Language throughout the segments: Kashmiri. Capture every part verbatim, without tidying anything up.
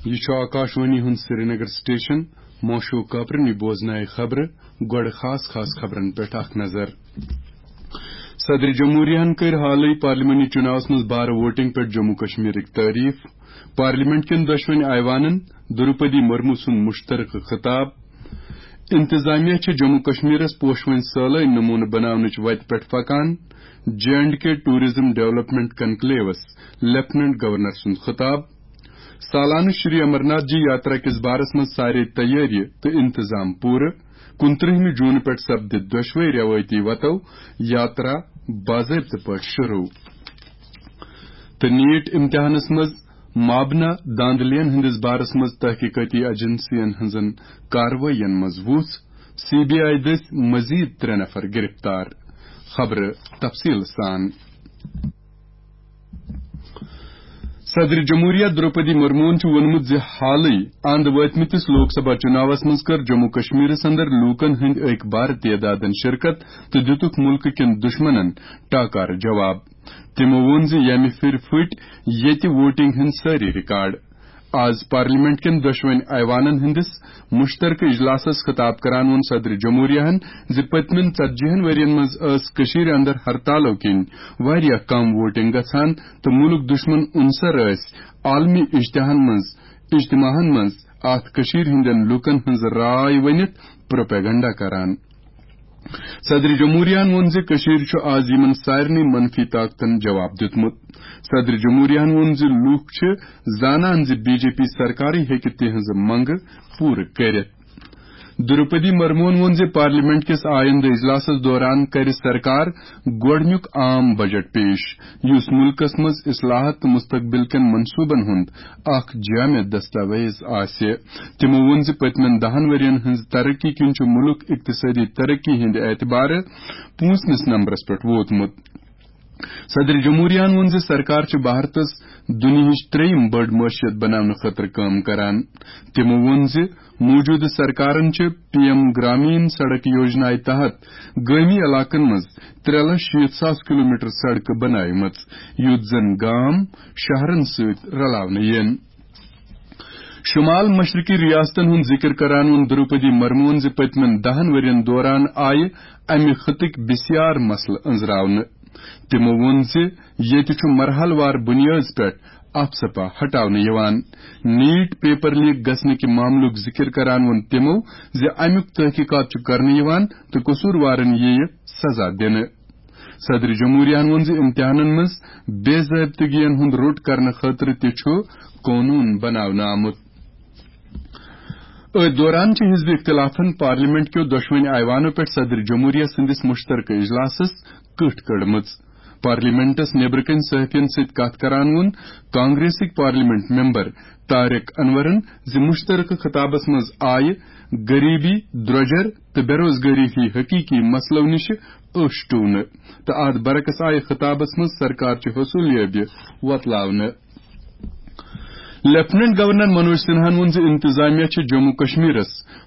یہِ چھُ آکاشوانی ہُنٛد سرینگر سٹیشن۔ ماشوق کاپرنی بوزنایہِ خبرٕ۔ گۄڈٕ خاص خاص خبرن پٮ۪ٹھ اکھ نظر۔ صدر جمہوریہن کٔر حالٕے پارلیمانی چُناوس منٛز بارٕ ووٹنگ پٮ۪ٹھ جموں کشمیرٕکۍ تعریف۔ پارلیمنٹ کٮ۪ن دۄشوٕنۍ ایوانن دروپدی مرمو سُنٛد مشترکہٕ خطاب۔ انتظامیہ چھِ جموں کشمیرس پوشوٕنۍ سٲلٲنۍ نمونہٕ بناونٕچ وتہِ پٮ۪ٹھ پکان۔ J and K tourism development کنکلیوس لیفٹیننٹ گورنر سُنٛد خطاب۔ سالانہٕ شری امرناتھ جی یاترا کِس بارس منٛز سارے تیٲری تہٕ انتظام پوٗرٕ۔ کُنترٕہمہِ جوٗن پٮ۪ٹھ سپدِ دۄشوے روایتی وتو یاترا باضٲبطہٕ پٲٹھۍ شروع۔ تہٕ نیٹ امتحانس منٛز مابنا دھاندلین ہٕنٛدِس بارس منٛز تحقیقاتی ایجنسین ہٕنٛزن کاروٲیین منٛز وُژھ، سی بی آئی دٔسۍ مزید ترٛےٚ نفر گرفتار۔ خبرٕ تفصیل سان۔ صدر جمہوریہ دروپدی مرموہن چھُ ووٚنمُت زِ حالٕے اند وٲتمٕتِس لوک سبھا چُناوس منٛز کٔر جموں کشمیرس اندر لوٗکن ہٕنٛدۍ أکۍ بارٕ تعدادن شرکت تہٕ دِتُکھ مُلکہٕ کٮ۪ن دُشمنن ٹاکارٕ جواب۔ تِمو ووٚن زِ ییٚمہِ پھِرِ پھٕٹۍ ییٚتہِ ووٹنگ ہٕنٛدۍ سٲری ریکارڈ۔ آز پارلیمنٹ کٮ۪ن دۄشوٕنۍ ایوانن ہٕنٛدِس مشترکہٕ اجلاسس خطاب کران ووٚن صدر جمہوریہن زِ پٔتمٮ۪ن ژتجی ہن ؤرین منٛز ٲس کٔشیٖرِ اندر ہرتالو کِنۍ واریاہ کم ووٹنگ گژھان تہٕ مُلک دُشمن عنصر ٲسۍ عالمی اجتحان منٛز، اجتماعن منٛز اتھ کٔشیٖرِ ہٕنٛدٮ۪ن لوٗکن ہٕنٛز راے ؤنِتھ پروپیگنڈا کران۔ صدر جمہوریہن ووٚن زِ کٔشیٖر چھُ آز یِمن سارنٕے منفی طاقتن جواب دیُتمُت۔ صدر جمہوریہن ووٚن زِ لوٗکھ چھِ زانان زِ بی جے پی سرکارٕے ہیٚکہِ تِہنٛزٕ منگہٕ پوٗرٕ کٔرِتھ۔ دروپدی مرموہن ووٚن زِ پارلیمنٹ کِس آیندٕ اجلاسس دوران کرِ سرکار گۄڈٕنیُک عام بجٹ پیش، یُس مُلکس منٛز اصلاحات تہٕ مستقبل کٮ۪ن منصوبن ہُنٛد اکھ جامع دستاویز آسہِ۔ تِمو ووٚن زِ پٔتمٮ۪ن دَہن ؤرین ہٕنٛز ترقی کِنۍ چھُ مُلک اقتصٲدی ترقی ہٕنٛدِ اعتبارٕ پوٗنٛژمِس نمبرس پٮ۪ٹھ ووتمُت۔ صدر جمہوریہن ووٚن زِ سرکار چھِ بھارتس دُنیہٕچ ترٛیٚیِم بٔڑ معیشت بناونہٕ خٲطرٕ کٲم کران۔ تِمو ووٚن زِ موجودٕ سرکارن چھِ پی ایم گرامین سڑک یوجنایہِ تحت گٲمی علاقن منٛز ترٛےٚ لچھ شیٖتھ ساس کلومیٹر سڑکہٕ بناومٕژ، یُتھ زن گام شہرن سۭتۍ رلاونہٕ یِن۔ شمال مشرقی ریاستن ہُنٛد ذکر کران ووٚن دروپدی مرموہن زِ پٔتمٮ۪ن دَہن ؤرین دوران آیہِ امہِ خطٕکۍ بسیار مسلہٕ أنٛزراونہٕ۔ تِمو ووٚن زِ ییٚتہِ چھُ مرحلہٕ وار بُنیٲدس پٮ۪ٹھ افسپا ہٹاونہٕ یِوان۔ نیٹ پیپر لیک گژھنہٕ کہِ معاملُک ذکر کران ووٚن تِمو زِ امیُک تحقیقات چھُ کرنہٕ یِوان تہٕ قصوٗروارن یِیہِ سزا دِنہٕ۔ صدر جمہوریہن ووٚن زِ امتحانن منٛز بے ضٲبطگین ہُنٛد روٚٹ کرنہٕ خٲطرٕ تہِ چھُ قونوٗن بناونہٕ آمُت۔ أتھۍ دوران چھِ حزب اختلافن پارلیمنٹ کیو دۄشوٕنۍ ایوانو پٮ۪ٹھ صدر جمہوریہ سٕنٛدِس مشترکہٕ اجلاسس کٔٹھ کٔڑمٕژ۔ پارلیمنٹس نیبرٕ کنہِ صحافین سۭتۍ کتھ کران ووٚن کانگریسٕکۍ پارلیمنٹ ممبر طارق انورن زِ مشترکہٕ خطابس منٛز آیہِ غریبی، درۄجر تہٕ بے روزگٲری ہی حقیقی مسلو نِش أچھ ٹوونہٕ تہٕ اتھ برعکس آیہِ خطابس منٛز سرکار چہِ حصولیابی وۄتلاونہٕ۔ لیفٹیننٹ گورنر منوج سنہاہن ووٚن زِ انتظامیہ چھِ جموں کشمیرس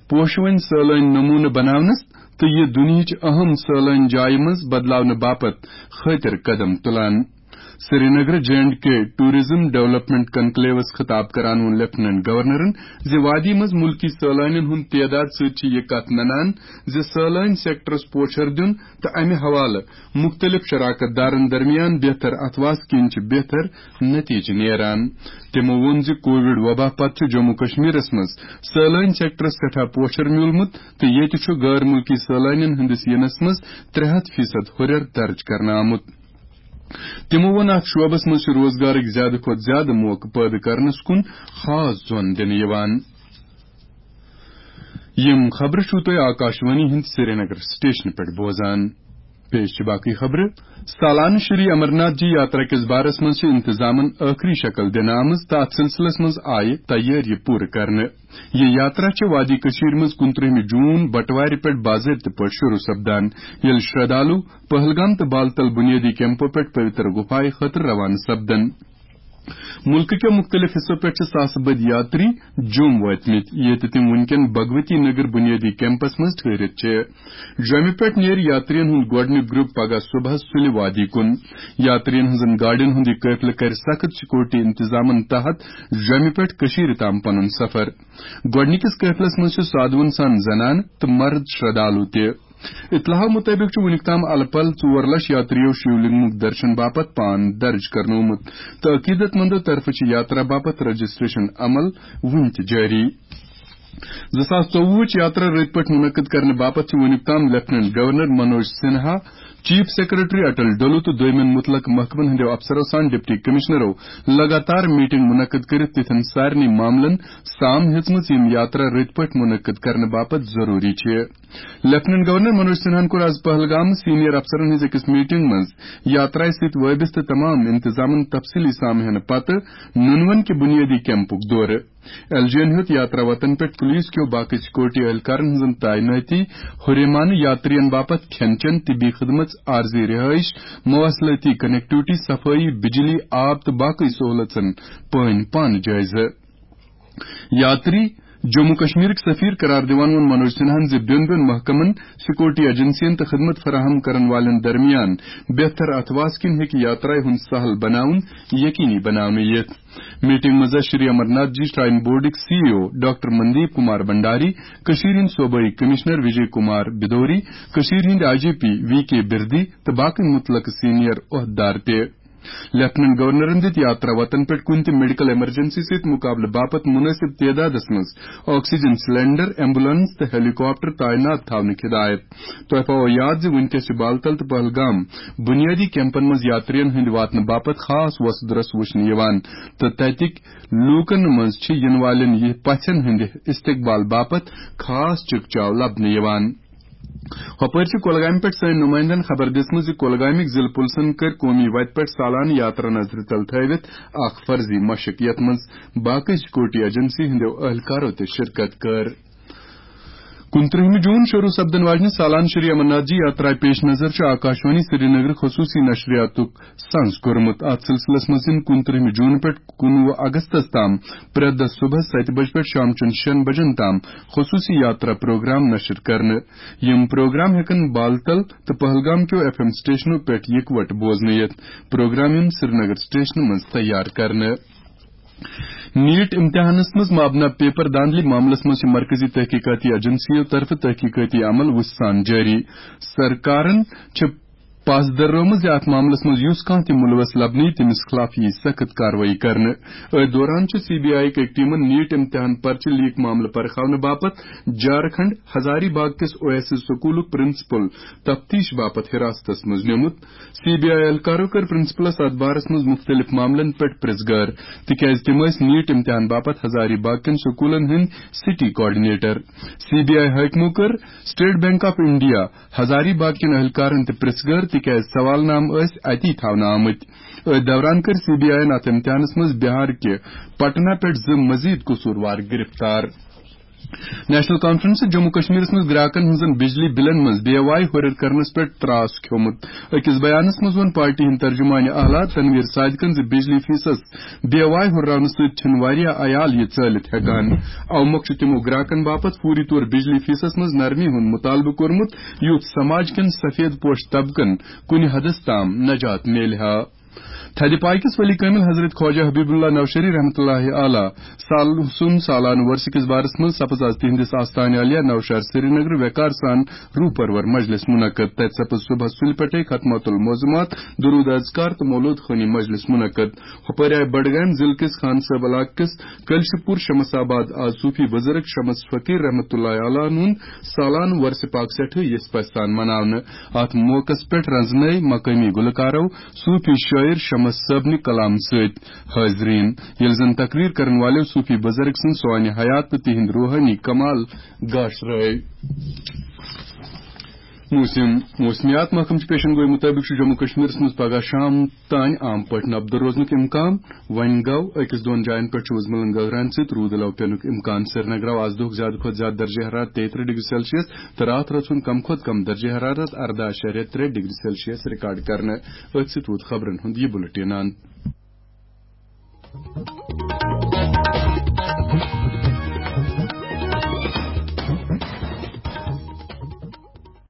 پوشوٕنۍ سٲلٲنۍ نمونہٕ بناونس تہٕ یہِ دُنیہٕچ اہم سٲلٲنۍ جایہِ منٛز بدلاونہٕ باپتھ خٲطر قدم تُلان۔ Srinagar J and K tourism development کنکلیوس خطاب کران ووٚن لیفٹیننٹ گورنرن زِ وادی منٛز مُلکی سٲلٲنین ہُنٛد تعداد سۭتۍ چھِ یہِ کتھ ننان زِ سٲلٲنۍ سیکٹرس پوچھر دیُن تہٕ امہِ حوالہٕ مُختٔلِف شراکت دارن درمیان بہتر اتھواس کِنۍ چھِ بہتر نتیجہٕ نیران۔ تِمو ووٚن زِ کووڈ وبا پتہٕ چھُ جموں کشمیرس منٛز سٲلٲنۍ سیکٹرس سٮ۪ٹھاہ پوچھر میوٗلمُت تہٕ ییٚتہِ چھُ غٲر مُلکی سٲلٲنین ہٕنٛدِس یِنس منٛز ترٛےٚ ہتھ فیصد ہُرٮ۪ر درج کرنہٕ آمُت۔ تِمو ووٚن، اتھ شعبس منٛز چھِ روزگارٕکۍ زیادٕ کھۄتہٕ زیادٕ موقعہٕ پٲدٕ کرنس کُن خاص زون دِنہٕ یِوان۔ یِم خبرٕ چھِو تُہۍ آکاشوانی ہٕنٛدِ سرینگر سٹیشنہٕ پٮ۪ٹھ بوزان۔ پیش چھِ باقٕے خبرٕ۔ سالانہٕ شری امرناتھ جی یاترا کِس بارس منٛز چھِ انتظامن ٲخری شکل دِنہٕ آمٕژ تہٕ اتھ سلسلس منٛز آیہِ تیٲری پوٗرٕ کرنہٕ۔ یہِ یاترا چھِ وادی کٔشیٖر منٛز کُنترٕہمہِ جوٗن بٹوارِ پٮ۪ٹھ باضٲبطہٕ پٲٹھۍ شروع سپدان، ییٚلہِ شردھالو پہلگام تہٕ بالتل بُنیٲدی کیمپو پٮ۪ٹھ پویتر گُفایہِ خٲطرٕ روانہٕ سپدن۔ مُلکہٕ کٮ۪و مُختٔلِف حِصو پٮ۪ٹھ چھِ ساسہٕ بٔدۍ یاتری جوٚم وٲتمٕتۍ، ییٚتہِ تِم وٕنکٮ۪ن بھگوتی نگر بُنیٲدی کیمپس منٛز ٹھٔہرِتھ چھِ۔ جوٚمہِ پٮ۪ٹھ نیرِ یاترین ہُنٛد گۄڈٕنیُک گروپ پگاہ صبحس سُلہِ وادی کُن۔ یاترین ہٕنٛزن گاڑٮ۪ن ہُنٛد یہِ قٲفلہٕ کرِ سخت سیکورٹی انتظامن تحت جوٚمہِ پٮ۪ٹھ کٔشیٖرِ تام پنُن سفر۔ گۄڈٕنِکِس قٲفلس منٛز چھِ سادوٗہن سان زنانہٕ تہٕ مرد شردالو تہِ۔ اطلاع مُطٲبِق چھُ وُنیُک تام الہٕ پلہٕ ژور لچھ یاترِیو شِولنگُک درشن باپتھ پان درج کرنومُت تہٕ عقیدت مندو طرفہٕ چھِ یاترا باپتھ رجسٹریشن عمل وُنہِ تہِ جٲری۔ زٕ ساس ژوٚوُہٕچ یاترا رٔتۍ پٲٹھۍ مُنعقد کرنہٕ باپتھ چھِ وُنیُک تام lieutenant governor Manoj Sinha, chief secretary Atal Dulloo تہٕ دویمٮ۪ن مُتعلقہٕ محکمن ہٕنٛدٮ۪و افسرو سان ڈپٹی کمشنرو لگاتار میٹنگ مُنعقد کٔرِتھ تِتھٮ۪ن سارنٕے معاملن سام ہیژمٕژ، یِم یاترا رٔتۍ پٲٹھۍ مُنعقد کرنہٕ باپتھ ضروٗری چھِ۔ لیفٹیننٹ گورنر منوج سنہاہن کوٚر آز پہلگام سینئر افسرن ہٕنٛز أکِس میٹنگ منٛز یاترایہِ سۭتۍ وٲبستہٕ تمام انتظامن تفصیلی سام ہینہٕ پتہٕ نُنون کہِ بُنیٲدی کیمپُک دورٕ۔ ایل جی یَن ہیوٚت یاترا وتن پٮ۪ٹھ پُلیٖس کیو باقٕے سیکورٹی اہلکارن ہٕنٛزن تعینٲتی، ہُریمانہٕ یاترین باپتھ کھٮ۪ن چٮ۪ن، طبی خدمژ، عارضی رہٲیش، مواصلٲتی کنیکٹیوٹی، صفٲیی، بجلی، آب تہٕ باقٕے سہوٗلژن پٲنۍ پانہٕ جٲیزٕ۔ یاتری جموں کشمیرٕکۍ سفیر قرار دِوان ووٚن منوج سنہاہن زِ بیوٚن بیوٚن محکمن، سیکورٹی ایجنسین تہٕ خدمت فراہم کرن والٮ۪ن درمیان بہتر اتھواس کِنۍ ہیٚکہِ یاترایہِ ہُنٛد سہل بناوُن یقینی بناونہٕ یِتھ۔ میٹنگ منٛز آسہِ شری امرناتھ جی شراین بورڈٕکۍ سی ای او ڈاکٹر مندیپ کمار بھنڈاری، کٔشیٖرِ ہٕنٛدۍ صوبٲئی کمشنر وجے کمار بدوری، کٔشیٖرِ ہٕنٛدۍ آئی جی پی وی کے بردی تہٕ باقٕے مُتعلقہٕ سینئر عہدٕدار تہِ۔ لیفٹیننٹ گورنرن دِتۍ یاترا وتن پٮ۪ٹھ کُنہِ تہِ میڈیکل ایمرجنسی سۭتۍ مُقابلہٕ باپتھ مُنٲسِب تعدادس منٛز آکسیجن سلینڈر، ایمبولینس تہٕ ہیلی کاپٹر تعینات تھاونٕکۍ ہدایت۔ تۄہہِ پاوو یاد زِ وُنکیٚس چھِ بالتل تہٕ پہلگام بُنیٲدی کیمپن منٛز یاترین ہٕنٛدِ واتنہٕ باپتھ خاص وۄسہٕ درس وُچھنہٕ یِوان تہٕ تتِکۍ لوٗکن منٛز چھِ یِنہٕ والٮ۪ن یہِ پژھٮ۪ن ہٕنٛدِ استقبال باپتھ خاص چکچاو لبنہٕ یِوان۔ ہۄپٲرۍ چھِ کۄلگامہِ پٮ۪ٹھ سٲنۍ نُمٲیندن خبر دِژمٕژ زِ کۄلگامٕکۍ ضلعہٕ پُلسن کٔر قومی وتہِ پٮ۪ٹھ سالانہٕ یاترا نظرِ تل تھٲوِتھ اکھ فرضی مشق، یتھ منٛز باقٕے سیکورٹی ایجنسی ہٕنٛدیو اہلکارو تہِ شرکت کٔر۔ کُنترٕہمہِ جوٗن شروٗع سپدن واجنہِ سالانہٕ شری امرناتھ جی یاترا پیش نظر چھُ آکاشوانی سرینگر خصوٗصی نشریاتُک سنز کوٚرمُت۔ اتھ سلسلس منٛز یِن کُنترٕہمہِ جوٗن پٮ۪ٹھ کُنوُہ اگستس تام پرٛٮ۪تھ دۄہ صبحس ستہِ بجہِ پٮ۪ٹھ شام چٮ۪ن شٮ۪ن بجن تام خصوٗصی یاترا پروگرام نشر کرنہٕ۔ یِم پروگرام ہٮ۪کن بالتل تہٕ پہلگام کیو ایف ایم سٹیشنو پٮ۪ٹھ یکوٹہٕ بوزنہٕ یِتھ۔ پروگرام یِن سرینگر سٹیشنہٕ منٛز تیار کرنہٕ۔ نیٹ امتحانس منٛز مابنا پیپر دھاندلی معاملس منٛز چھِ مرکزی تحقیقاتی ایجنسیو طرفہٕ تحقیقاتی عمل وُژھ سان جٲری۔ سرکارن چھِ پس دررٲومٕژ زِ اتھ معاملس منٛز یُس کانٛہہ تہِ مُلوث لبنہٕ یی، تٔمِس خلاف یِیہِ سخت کاروٲیی کرنہٕ۔ أتھۍ دوران چھُ سی بی آئی کہِ ٹیمن نیٹ امتحان پرچہٕ لیک معاملہٕ پرکھاونہٕ باپتھ جھارکھنڈ ہزاری باغ کِس او ایس ایس سکولُک پرنسپل تفتیش باپتھ حراستس منٛز نیومُت۔ سی بی آئی اہلکارو کٔر پرنسپلس اتھ بارس منٛز مُختٔلِف معاملن پٮ۪ٹھ پرژھ گٲر، تِکیازِ تِم ٲسۍ نیٹ امتحان باپتھ ہزاری باغ کٮ۪ن سکولن ہٕنٛدۍ city coordinator. C B I حٲکمو کٔر state bank of India Hazaribagh کٮ۪ن اہلکارن تہِ پرژھ گٲر، تِکیازِ سوال نامہٕ ٲسۍ اتی تھاونہٕ آمٕتۍ۔ أتھۍ دوران کٔر سی بی آئی ین اتھ امتحانس منٛز بہار کہِ پٹنہ پٮ۪ٹھ زٕ مزید قصوٗروار گرفتار۔ نیشنل کانفرنس جموں کشمیرس منٛز گراکن ہٕنٛزن بجلی بلن منٛز بے واے ہُرٮ۪ر کرنس پٮ۪ٹھ تراس کھیومُت۔ أکِس بیانس منٛز ووٚن پارٹی ہٕنٛدۍ ترجمان اعلیٰ تنویر صادقن زِ بجلی فیسس بے واے ہُرراونہٕ سۭتۍ چھِنہٕ واریاہ عیال یہِ ژٲلِتھ ہٮ۪کان۔ اوٕ مۄکھٕ چھُ تِمو گراکن باپتھ فوری طور بجلی فیسس منٛز نرمی ہُنٛد مطالبہٕ کوٚرمُت، یُتھ سماج کٮ۪ن سفید پوش طبقن کُنہِ حدس تام نجات میلہِ ہا۔ تھدِ پایہِ کِس ولی کٲمِل حضرت خواجہ حبیب اللہ نوشہری رحمتہ اللہ علیہ سال-، سُنٛد سالانہٕ وۄرثہٕ کِس بارس منٛز سپٕز آز تِہنٛدِس آستانہِ عالیہ نوشہر سرینگر وقار سان روٗپرور مجلس منعقد۔ تتہِ سپٕز صبحس سُلہِ پٮ۪ٹھے ختمات المعظمات، درود اذکار تہٕ مولود خوانی مجلس منعقد۔ ہُپٲرۍ آیہِ بڈگامۍ ضلعہٕ کِس خان صٲب علاقہٕ کِس کلشہِ پوٗر شمس آباد آز صوٗفی بُزرگ شمس فقیٖر رحمتہ اللہ علیہ ہُنٛد سالانہٕ وۄرثہٕ پاک سٮ۪ٹھٕے یژھِ پژھِ سان مناونہٕ۔ اتھ موقعس پٮ۪ٹھ رنزنٲوۍ مقٲمی گلوکارو صوٗفی شٲعر شمس صٲبنہِ کلام سۭتۍ حٲضریٖن، ییٚلہِ زن تقریر کرن والٮ۪و صوٗفی بُزرگ سٕنٛز سوانہِ حیات تہٕ تِہنٛدۍ روحٲنی کمال گاشرٲوۍ۔ موسم۔ موسمیات محکمہٕ چہِ پیشن گویی مُطٲبِق چھُ جموں کشمیرس منٛز پگاہ شام تام عام پٲٹھۍ نبدٕ روزنُک امکان۔ وۄنۍ گوٚو، أکِس دۄن جاین پٮ۪ٹھ چھُ وُزملن گگران سۭتۍ روٗد علاوٕ پٮ۪نُک امکان۔ سرینگرٕ آو آز دۄہُک زیادٕ کھۄتہٕ زیادٕ درجہ حرارت تیٚیہِ ترٕٛہ ڈگری سیلسیس تہٕ راتھ رٲژ ہُنٛد کم کھۄتہٕ کم درجہ حرارت ارداہ اعشاریہ ترٛےٚ ڈگری سیلسیس ریکارڈ کرنہٕ۔ أتھۍ سۭتۍ ووت خبرن ہُنٛد یہِ بُلٹن اند۔